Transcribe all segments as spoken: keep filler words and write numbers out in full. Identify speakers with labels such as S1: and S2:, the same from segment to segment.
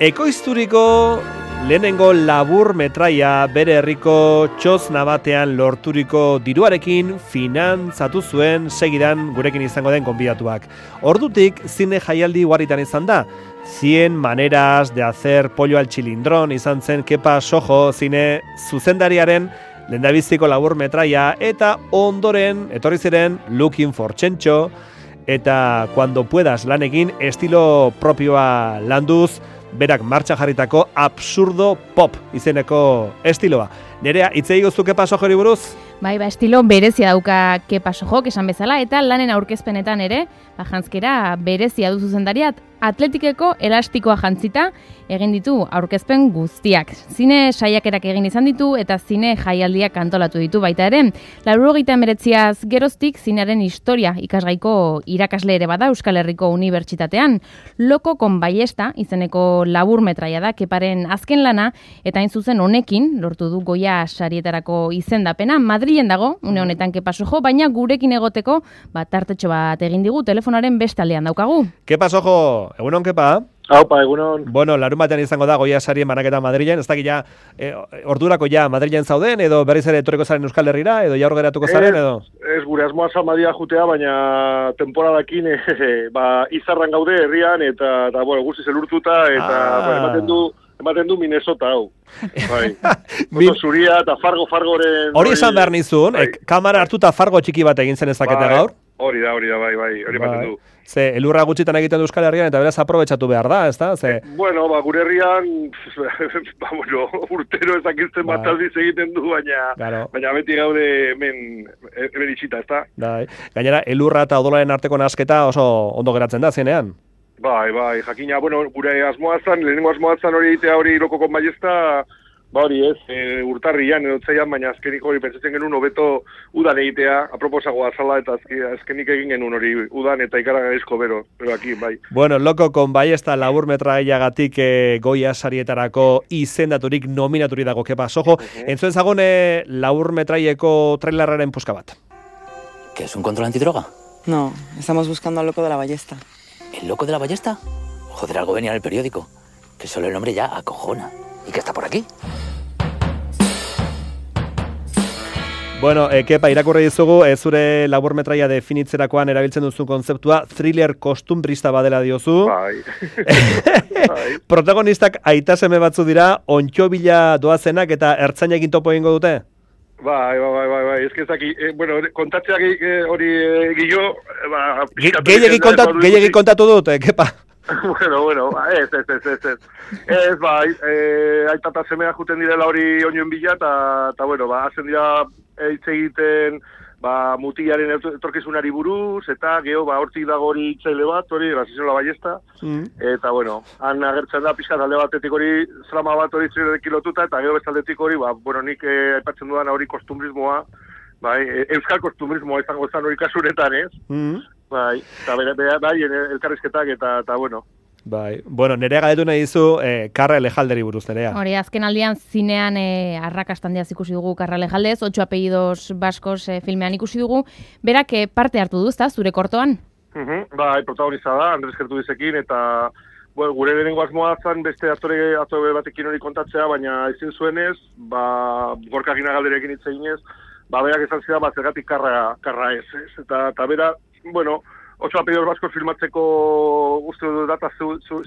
S1: Ekoizturiko lehenengo labur metraia bere herriko txozna batean lorturiko diruarekin finantzatu zuen segidan gurekin izango den gonbidatuak. Ordutik zine jaialdi ugarritan izan da. Cien maneras de hacer pollo al chilindrón izan zen Kepa Sojo zine zuzendariaren lehendabiziko labur metraia eta ondoren etorri ziren Looking for Chencho eta Cuando puedas lanekin estilo propioa landuz berak martxan jarritako absurdo pop izeneko estiloa. Nerea, hitzei guztu Kepa Sojori buruz?
S2: Bai, ba, estilo berezia dauka Kepa Sojok esan bezala, eta lanen aurkezpenetan ere, ba, jantzkera berezia du zuzendariat, atletikeko elastikoa jantzita egin ditu aurkezpen guztiak. Zine saiakerak egin izan ditu eta zine jaialdiak antolatu ditu baita ere. Laurogeita hemeretziaz geroztik zinearen historia ikasgaiko irakasle ere bada Euskal Herriko Unibertsitatean. Loko con baiesta izeneko labur metraia da Keparen azken lana eta hain zuzen honekin lortu du Goya sarietarako izendapena. Madrilen dago, une honetan Kepa Sojo, baina gurekin egoteko bat tartetxo bat egin digu telefonaren beste aldean daukagu.
S1: Kepa Sojo, egunon Kepa?
S3: Aupa, egunon.
S1: Bueno, larun batean izango da Goya sarien banaketa Madrilen, ez dakit ja, e, ordurako ja Madrilen zauden, edo berriz ere etorriko zaren Euskal Herrira, edo ja hor geratuko zaren, edo?
S3: Ez, gure asmoa Madia jutea, baina temporadakin e, ba, izarran gaude herrian, eta, eta bueno, guztiz elurtuta, eta ah. ba, ematen du ematen du Minnesota, hau. Bai. Moto zuria eta Fargo Fargoren...
S1: Hori esan behar nizun, bai. e, kamara hartuta Fargo txiki bat egin zen ezakete
S3: bai.
S1: gaur?
S3: Hori da, hori da, bai, bai, hori ematen bai. du.
S1: Ze, elurra gutxitan egiten du Euskal Herrian, eta beraz aprobetxatu behar da, ez da? Ze...
S3: Bueno, ba, gure herrian, ba, bueno, urtero ezakizten bat aldiz egiten du, baina, claro. baina beti gaude hemen, hemen itxita, ez da?
S1: Bai. Gainera, elurra eta odolaren arteko nasketa oso ondo geratzen da, zenean?
S3: Bai, bai, jakina, bueno, gure asmoa zan, lehenengo asmoa zan hori egitea hori Loko con baiesta, ba hori ez, e, urtarrian, edo zeian, baina azkenik hori pentsatzen genuen hobeto udan egitea, aproposagoa zala, eta azkenik egin genuen hori udan eta ikaragarrizko bero, pero aquí, bai.
S1: Bueno, Loko con baiesta labur metraiagatik e, Goya sarietarako izendaturik nominaturik dago Kepa Sojo. Uh-huh. Entzuen zagon e, labur metraieko trailerraren puska bat.
S4: ¿Qué es un control antidroga?
S5: No, estamos buscando al loco de la ballesta.
S4: ¿El loco de la ballesta? Joder, algo venía en el periódico. Que solo el nombre ya acojona. ¿Y que está por aquí?
S1: Bueno, e, Kepa, irakurri dizugu, e, zure labur metraia definitzerakoan erabiltzen duzu kontzeptua, thriller kostumbrista badela diozu.
S3: Bai.
S1: bai. Protagonistak aita seme batzu dira, ontxo bila doazenak eta ertzainekin topo egingo dute?
S3: Bai, bai, bai, bai, bai, ez que zaki, eh, bueno, kontatzeak hori eh, gillo, ba...
S1: Gehiagik kontat, kontatu dut, eh, Kepa?
S3: bueno, bueno, ez, ez, ez, ez, ez. Ez, bai, eh, aitata semea juten direla hori oinoen bila, eta, bueno, ba, hazen dira hitz egiten, ba, mutilaren etorkizunari buruz, eta geho, ba, hortik dago hori itzaile bat, hori, Grasizola baiesta, mm. eta, bueno, han agertzen da, pixka talde batetik hori, zrama bat hori zirekin lotuta, eta geho bestaldetik hori, ba, bueno, nik eh, aipatzen dudan hori kostumbrismoa, bai, e, euskal kostumbrismoa izango zen hori kasuretan, ez? Mm. Bai, eta bera, bera, bai, elkarrizketak, eta, eta, bueno,
S1: Bai, bueno, Nerea galdetu nahi dizu eh, Karra Elejalderi buruz, Nerea.
S2: Hori, azken aldian zinean eh, arrakastan diaz ikusi dugu Karra Elejaldez, ocho apellidos baskos eh, filmean ikusi dugu, berak eh, parte hartu du, ezta, zure kortoan?
S3: Uh-huh, bai, protagoniza da, Andres Gertudizekin, eta bueno, gure lehenengo asmoa zan beste aktore, aktore batekin hori kontatzea, baina ezin zuenez, ba, Gorka Ginagalderekin hitz eginez, ba, berak esan zidan, ba, zergatik karra, karra ez, ez, eta, eta bera, bueno, ocho apellidos baskos filmatzeko uste dut data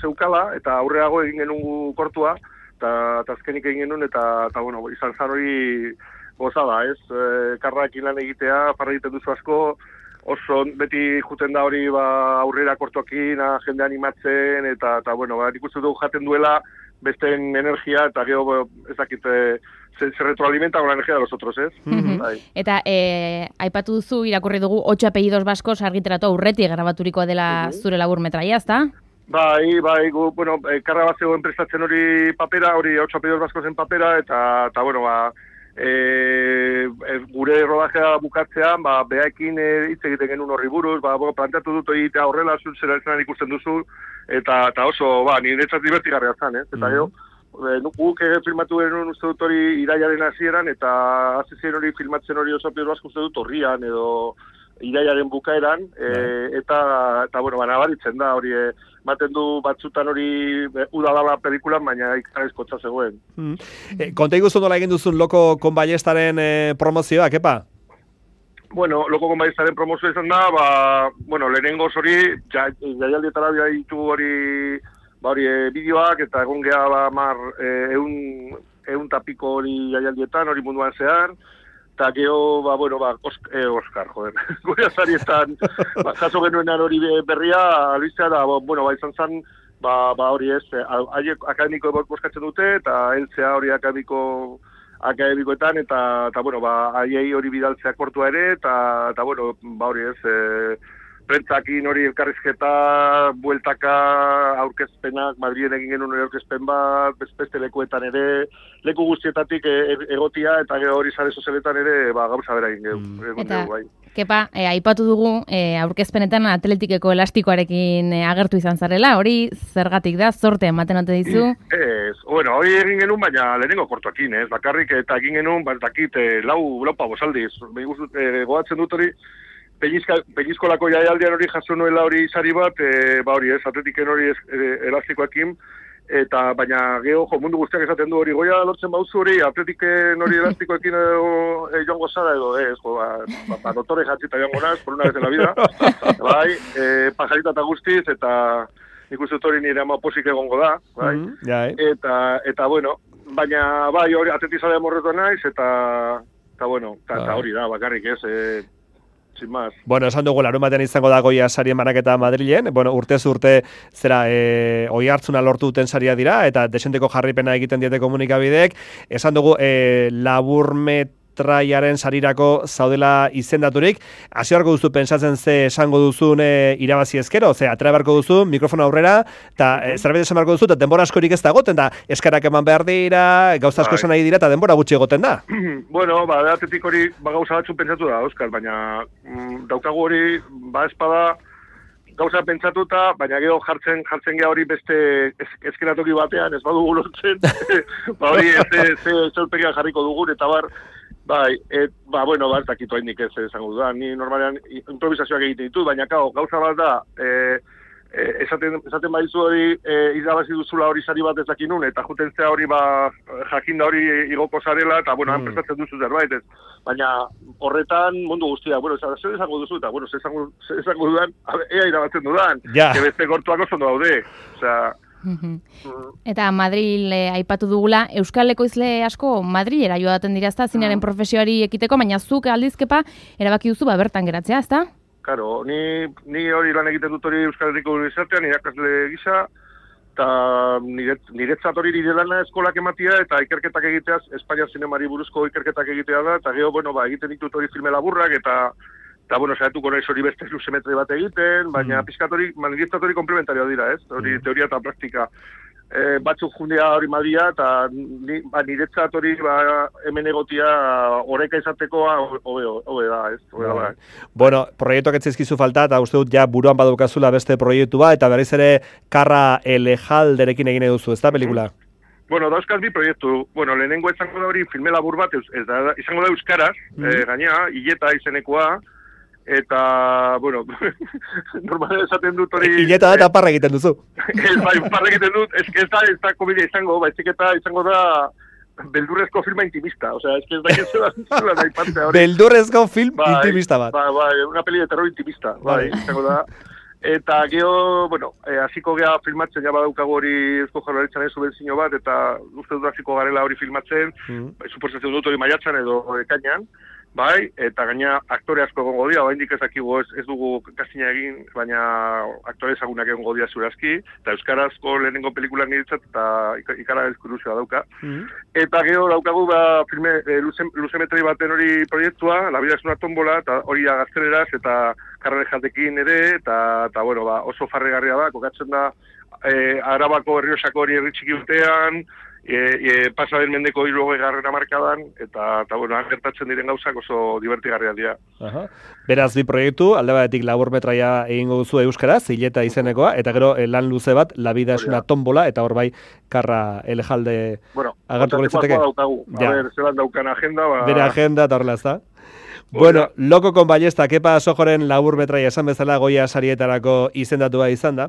S3: zeukala, eta aurreago egin genuen kortua, eta azkenik egin genuen, eta, eta bueno, izan zan hori gozada, ez? E, karraekin lan egitea, parra egiten duzu asko, oso beti juten da hori ba, aurrera kortuakin, jende animatzen, eta, eta bueno, ba, nik uste dugu jaten duela, besteen energia, eta gero ez dakit, se, se retroalimenta con la energia de los otros, ez?
S2: Mm-hmm. Bai. Eta e, aipatu duzu, irakurri dugu, ocho apellidos baskos argitaratu aurretik grabaturikoa dela mm-hmm. zure labur metraia, ezta?
S3: Bai, bai, gu, bueno, e, karra bat zegoen prestatzen hori papera, hori ocho apellidos baskosen papera, eta, eta bueno, ba, e, e, gure rodajea bukatzean, ba, behaekin hitz e, egiten genuen horri buruz, ba, bo, planteatu dut egitea horrela, zera ezanan ikusten duzu, eta, eta oso, ba, niretzat divertigarria zan, ez? Eta mm-hmm. gero, guk filmatu genuen uste dut hori iraiaren hasieran, eta hasi ziren hori filmatzen hori oso apellidos baskos uste dut horrian, edo iraiaren bukaeran, e, eta, eta bueno, ba, nabaritzen da hori, e, baten du batzutan hori udadala pelikulan, baina ikarizkotza zegoen.
S1: Mm. E, konta iguzu nola egin duzun Loko con Ballestaren e, promozioa, kepa?
S3: Bueno, Loko con Ballestaren promozioa izan da, ba, bueno, lehenengoz hori, ja, jaialdietara bia ditu hori, ba hori e, bideoak, eta egon geha ba, mar, e, eun, eun tapiko hori jaialdietan, hori munduan zehar, eta geho, ba, bueno, ba, Oscar, eh, Oscar joder, gure azarietan, ba, jaso genuenan hori berria, albiztea da, bueno, ba, izan zen, ba, ba hori ez, haiek akademiko boskatzen dute, eta heltzea hori akademiko, akademikoetan, eta, eta bueno, ba, haiei hori bidaltzea kortua ere, eta, eta bueno, ba hori ez, e, prentzakin hori elkarrizketa, bueltaka, aurkezpenak, Madriden egin genuen hori aurkezpen bat, beste lekuetan ere, leku guztietatik e, egotia, eta hori sare sozialetan ere, ba, gauza bera egin geu.
S2: Mm. Eta, bai. Kepa, e, aipatu dugu, e, aurkezpenetan atletikeko elastikoarekin e, agertu izan zarela, hori zergatik da, zorte ematen ote dizu?
S3: Ez, bueno, hori egin genuen, baina lehenengo kortuakin, ez, bakarrik eta egin genuen, bat dakit, e, lau, lau pavosaldiz, e, goatzen dut hori, Peñizkolako jaialdian hori jaso nuela hori sari bat, e, ba hori ez, atletiken hori ez, e, elastikoekin, eta baina geho, jo, mundu guztiak esaten du hori, goia lortzen bauzu hori, atletiken hori elastikoekin edo e, joango zara edo, ez, jo, ba, ba, ba dotore jatzita joango naz, por una vez en la vida, bai, e, pajarita eta guztiz, eta ikusi hori nire ama posik egongo da, bai, mm -hmm, yeah, eh. eta, eta, bueno, baina, bai, hori atletizalea morretu naiz, eta, eta, bueno, eta hori da, bakarrik ez, e, sin más.
S1: Bueno, esan dugu larun batean izango da Goia sarien banaketa Madrilen, bueno, urtez urte zera e, oi hartzuna lortu duten saria dira, eta desenteko jarripena egiten diete komunikabideek, esan dugu e, laburmet traiaren sarirako zaudela izendaturik, hasi beharko duzu pentsatzen ze esango duzun e, irabazi ezkero, ze atera beharko duzu mikrofona aurrera, eta e, zerbait esan beharko duzu, eta denbora askorik ez da egoten da, eskarak eman behar dira, gauza asko esan nahi dira, eta denbora gutxi egoten da.
S3: Bueno, ba, atetik hori, ba, gauza batzu pentsatu da, Oskar, baina mm, daukagu hori, ba, espada, gauza pentsatuta, baina gero jartzen jartzen gea hori beste eskenatoki batean, ez badugu lortzen, ba, hori ez zolpegian jarriko dugun, eta bar, bai, et, ba, bueno, ba, ez dakitu hainik ez esango dudan, ni normalean improvisazioak egiten ditut, baina kao, gauza bat da, e, e, esaten, esaten badizu hori, e, irabazi duzula hori sari bat ez dakinun, eta juten zea hori, ba, jakinda hori igoko zarela, eta, bueno, han mm. prestatzen duzu zerbait, ez, baina horretan mundu guztia, bueno, zer esango duzu, eta, bueno, zer esango, esango dudan, ea irabatzen dudan,
S1: ja.
S3: Que beste gortuak oso daude, osea,
S2: eta Madril eh, aipatu dugula, Euskal Ekoizle asko Madrilera joaten dira, ezta, zinaren profesioari ekiteko, baina zuk aldizkepa erabaki duzu ba bertan geratzea, ezta?
S3: Claro, ni, ni hori lan egiten dut hori Euskal Herriko Unibertsitatean, irakasle gisa, eta niretzat hori nire lana eskolak ematia, eta ikerketak egiteaz, Espainia zinemari buruzko ikerketak egitea da, eta gero, bueno, ba, egiten ditut hori filme laburrak, eta Eta, bueno, saiatuko naiz hori beste luzemetri bat egiten, baina mm. pizkat hori, manifestat hori komplementarioa dira, ez? Hori mm. teoria eta praktika. E, batzuk jundea hori madia, eta ni, ba, niretzat hori ba, hemen egotia oreka izatekoa hobe da, ez? Hobe da,
S1: bueno, proiektuak etzizkizu falta, eta uste dut ja buruan badukazula beste proiektu bat, eta berriz ere Karra Elejalderekin egin eduzu, ez da, pelikula?
S3: Mm. Bueno, dauzkaz bi proiektu. Bueno, lehenengo izango da hori filme labur bat, ez da, izango da euskaraz, mm. e, gaina, hileta izenekoa, eta, bueno, normalen esaten dut hori...
S1: Hileta da eta parra egiten duzu.
S3: Ez, bai, parra egiten dut, ez ez da, ez da komedia izango, baizik eta izango da beldurrezko filma intimista, osea, ez ez da, ez da, ez da, ipatzea hori.
S1: Beldurrezko film bai, intimista bat.
S3: Bai, bai, una peli de terror intimista, bai, izango da. Eta geho, bueno, hasiko eh, gea filmatzen, ja badaukago hori Eusko Jaurlaritzaren subentzio bat, eta uste dut hasiko garela hori filmatzen, mm. suposatzen dut hori maiatzan edo ekainean, bai, eta gaina aktore asko egongo dira, oraindik ez dakigu ez, ez dugu kastina egin, baina aktore ezagunak egongo dira zurazki, eta euskarazko lehenengo pelikulan niretzat, eta ikara ezkuruzioa dauka. Mm. Eta gero daukagu ba, filme, e, luze, luzemetri baten hori proiektua, La vida es una tómbola, eta hori da gazteleraz, eta Karra Elejaldekin ere, eta, eta bueno, ba, oso farregarria da, kokatzen da, e, Arabako Errioxako hori herritxiki urtean, E, e, pasa den mendeko hirurogeita garren hamarkadan, eta, eta bueno, gertatzen diren gauzak oso divertigarriak dira.
S1: Aha. Beraz, bi proiektu, alde batetik laburmetraia egingo duzu euskaraz, hileta izenekoa, eta gero lan luze bat, La vida es una tómbola, eta hor bai, Karra Elejalde
S3: bueno,
S1: agertuko litzateke.
S3: Daukagu. A ja. Ber, zelan daukan agenda. Ba...
S1: Bere agenda, eta horrela ez da. Bueno, Loco con Ballesta, Kepa Sojoren labur metraia esan bezala Goya sarietarako izendatua izan da.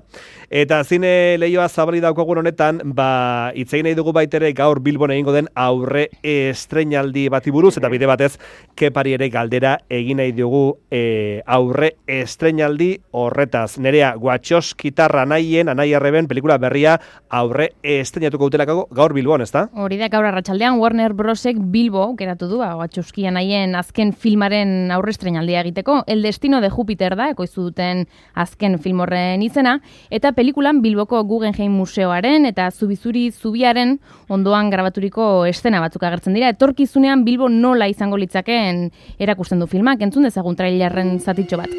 S1: Eta zine lehioa zabali daukagun honetan, ba, itzegin nahi dugu baitere gaur Bilbon egingo den aurre estreinaldi bati buruz, eta bide batez, Kepari ere galdera egin nahi dugu e, aurre estreinaldi horretaz. Nerea, Wachowskitarra anaien, anai arreben, pelikula berria aurre estreinatuko utelako gaur Bilbon, ezta?
S2: Hori da, gaur arratsaldean Warner Brosek Bilbo geratu du, Wachowski anaien azken filmaren aurre estreinaldia egiteko. El destino de Júpiter da, ekoizu duten azken film horren izena, eta pelikulan Bilboko Guggenheim Museoaren eta Zubizuri Zubiaren ondoan grabaturiko eszena batzuk agertzen dira. Etorkizunean Bilbo nola izango litzakeen erakusten du filmak, entzun dezagun trailerren zatitxo bat.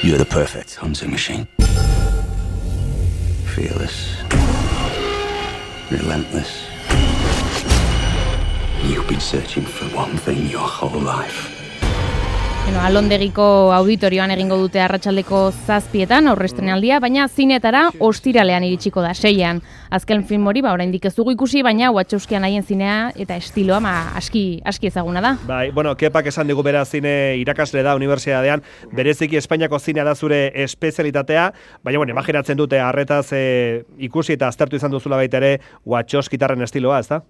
S6: You're the perfect hunting machine. Fearless. Relentless. You've been searching for one thing your whole life.
S2: Bueno, Alondegiko auditorioan egingo dute arratsaldeko zazpietan aurre estreinaldia, baina zinetara ostiralean iritsiko da, seian. Azken film hori, ba, oraindik ez dugu ikusi, baina Wachowski anaien zinea eta estiloa ma, aski, aski ezaguna da.
S1: Bai, bueno, Kepak esan digu bera zine irakasle da unibertsitatean, bereziki Espainiako zinea da zure espezialitatea, baina, bueno, imaginatzen dute arretaz e, ikusi eta aztertu izan duzula baita ere Wachowskitarren estiloa, ezta?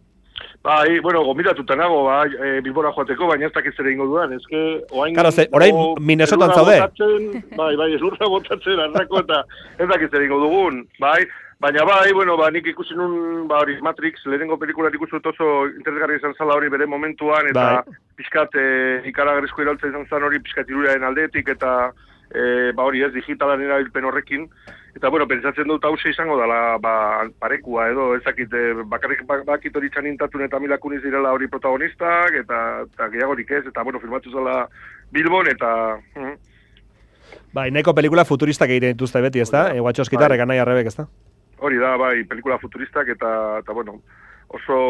S3: Bai, bueno, gombidatuta nago, bai, e, Bilbora joateko, baina ez dakiz ere ingo dudan, ez que... Oain,
S1: claro, ze, orain
S3: o,
S1: Minnesotan zaude.
S3: Botatzen, bai, bai, ez lurra botatzen, arrako eta ez dakiz ere ingo dugun, bai, baina bai, bueno, ba, nik ikusi nun, ba, hori, Matrix, lehenengo pelikulat ikusut oso interesgarri izan zala hori bere momentuan, eta bai. Piskat e, ikaragarrizko iraltza izan zan hori, piskat iruraren aldetik, eta e, ba, hori ez, digitalan erabilpen horrekin, eta, bueno, pentsatzen dut hause izango dela, ba, parekua edo, ezakit, bakarrik bakit hori txanintatun eta milakuniz direla hori protagonistak, eta, eta gehiagorik ez, eta, bueno, filmatu zela Bilbon, eta... Mm.
S1: Bai, nahiko pelikula futuristak egiten dituzte beti, ez da? E, Wachowskitarrek anai arrebek, ez da?
S3: Hori da, bai, pelikula futuristak, eta, eta bueno, oso,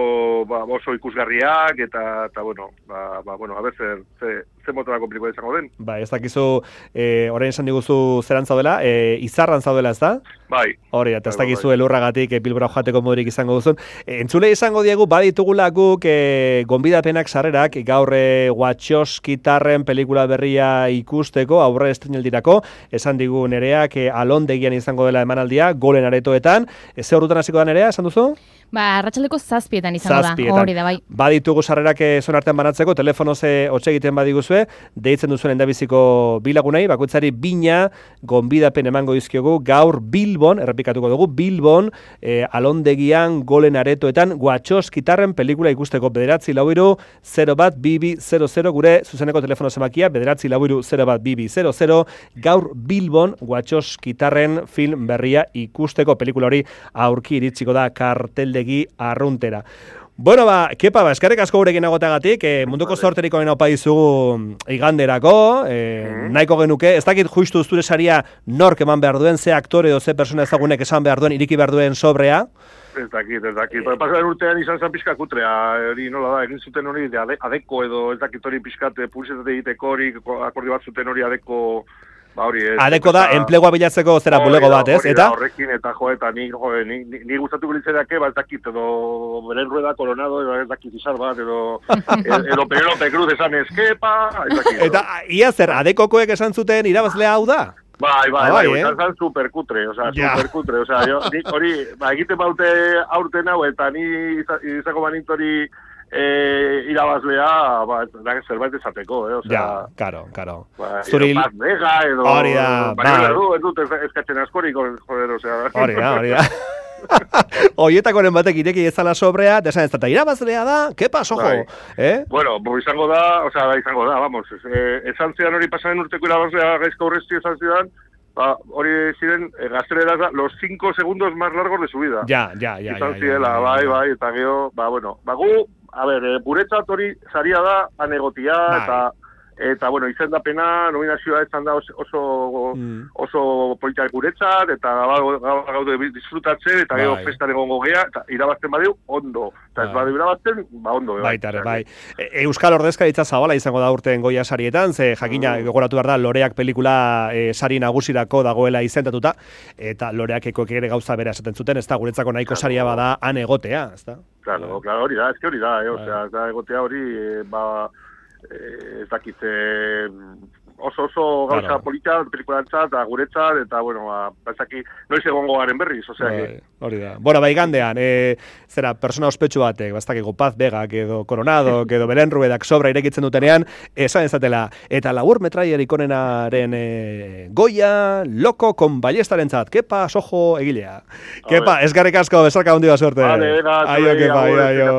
S3: ba, oso ikusgarriak, eta, eta bueno, ba, ba, bueno, a ber, zer, ze, ze motorako pelikula izango den.
S1: Ba, ez dakizu, e, orain esan diguzu zeran zaudela, e, izarran zaudela, ez da?
S3: Bai.
S1: Hori, eta ez dakizu bai. Elurragatik e, Bilbora joateko modurik izango duzun. E, entzule izango diegu, baditugula guk e, gonbidapenak sarrerak, gaur e, Wachowskitarren pelikula berria ikusteko, aurre estreinaldirako, esan digu Nereak e, Alondegian izango dela emanaldia, golen aretoetan. E, ze horretan hasiko da Nerea, esan duzu?
S2: Ba, arratsaldeko zazpietan izango
S1: zazpietan.
S2: Da, hori da, bai.
S1: Baditugu sarrerak zon artean banatzeko, telefonoze hotxe egiten badiguzue, deitzen duzuen endabiziko bilagunei, bakoitzari bina gonbidapen emango dizkiogu, gaur Bilbon, errepikatuko dugu, Bilbon, e, Alondegian, golen aretoetan, Wachowskitarren pelikula ikusteko bederatzi lauiru, zero bat, bibi, zero, zero, gure zuzeneko telefono zemakia, bederatzi lauiru, zero bat, bibi, zero, zero, gaur Bilbon, Wachowskitarren film berria ikusteko pelikula hori aurki iritsiko da kartelde arruntera. Bueno, ba, Kepa, ba, eskerrik asko gurekin agoteagatik, eh, munduko sorteriko gena opa dizugu iganderako, eh, mm-hmm. nahiko genuke, ez dakit justu zure saria nork eman behar duen, ze aktore edo ze persona ezagunek esan behar duen, iriki behar duen sobrea?
S3: Ez dakit, ez dakit. Yeah. Pasaren urtean izan zen pixka kutrea, hori nola da, egin zuten hori de adeko edo ez dakit hori pixkat publizitate egiteko hori, akordio bat zuten hori adeko... Ba, hori, ez,
S1: adeko da, eta, enplegua bilatzeko zera bulego bat, ez?
S3: Eta horrekin, eta jo, eta ni, jo, ni, ni, ni gustatuko litzereake, ba, ez dakit, edo beren rueda koronado, edo ez dakit izar bat, edo edo Penelope Cruz esan eskepa, ez dakit.
S1: Eta ia zer, adekokoek esan zuten irabazlea hau da?
S3: Bai, bai, bai, izan bai, bai, superkutre, oza, sea, superkutre, oza, sea, jo, hori, ba, egiten baute aurten hau, eta ni izako banint hori, Eh, irabazlea, ba, da zerbait esateko, eh, o sea,
S1: ja, claro, claro.
S3: Ba, Zuril Paz Vega edo
S1: hori da,
S3: bai, ez dut eskatzen askorik, joder, o sea.
S1: Hori da, hori da. Oietakoren batek ireki ezala sobrea, desan ez da irabazlea da, ke paso jo, eh?
S3: Bueno, bo izango da, o sea, izango da, vamos, eh, esan zidan hori pasaren urteko irabazlea gaizka urresti esan zidan, ba, hori ziren, eh, gaztelera da, los cinco segundos más largos de su vida.
S1: Ja, ja, ja.
S3: Izan zidela, bai, bai, eta gero, ba, bueno, ba, gu, a ber, e, guretzat hori saria da anegotia, eta, eta, bueno, izendapena, nominazioa izan da oso, oso, mm. oso politak guretzat, eta gaude disfrutatzen, eta gero festan egongo gea, eta irabazten badiu, ondo. Eta ez badiu irabazten, ba, ondo.
S1: Baitare, bai. Euskal Ordezkaritza zabala izango da urten Goya sarietan, ze jakina mm. gogoratu behar da, Loreak pelikula e, sari nagusirako dagoela izendatuta, eta Loreak ekoek ere gauza bera esaten zuten, ez da, guretzako nahiko claro. Saria bada han egotea, ez da?
S3: Claro, claro, hori da, ez que hori da, eh, osea, da egotea hori, ba, ez dakit, eh, oso oso gauza
S1: Claro.
S3: polita, pelikulantzat, eta guretzat, eta, bueno, ba, bazaki, noiz egongo garen berriz, osea,
S1: Bai,
S3: que...
S1: hori da. Bueno, bai gandean, e, zera, persona ospetsu batek, bastakiko Paz Begak edo Coronado, edo Belen Ruedak sobra irekitzen dutenean, esan ezatela. Eta labur metraiarik onenaren e, goia, loko kon ballestaren zat. Kepa, sojo, egilea. Kepa, esgarrik asko, besarka hundi bat suerte.
S3: Vale, venga,
S1: Aio,
S3: zuei,
S1: Kepa,
S3: agur,
S1: aio, aio.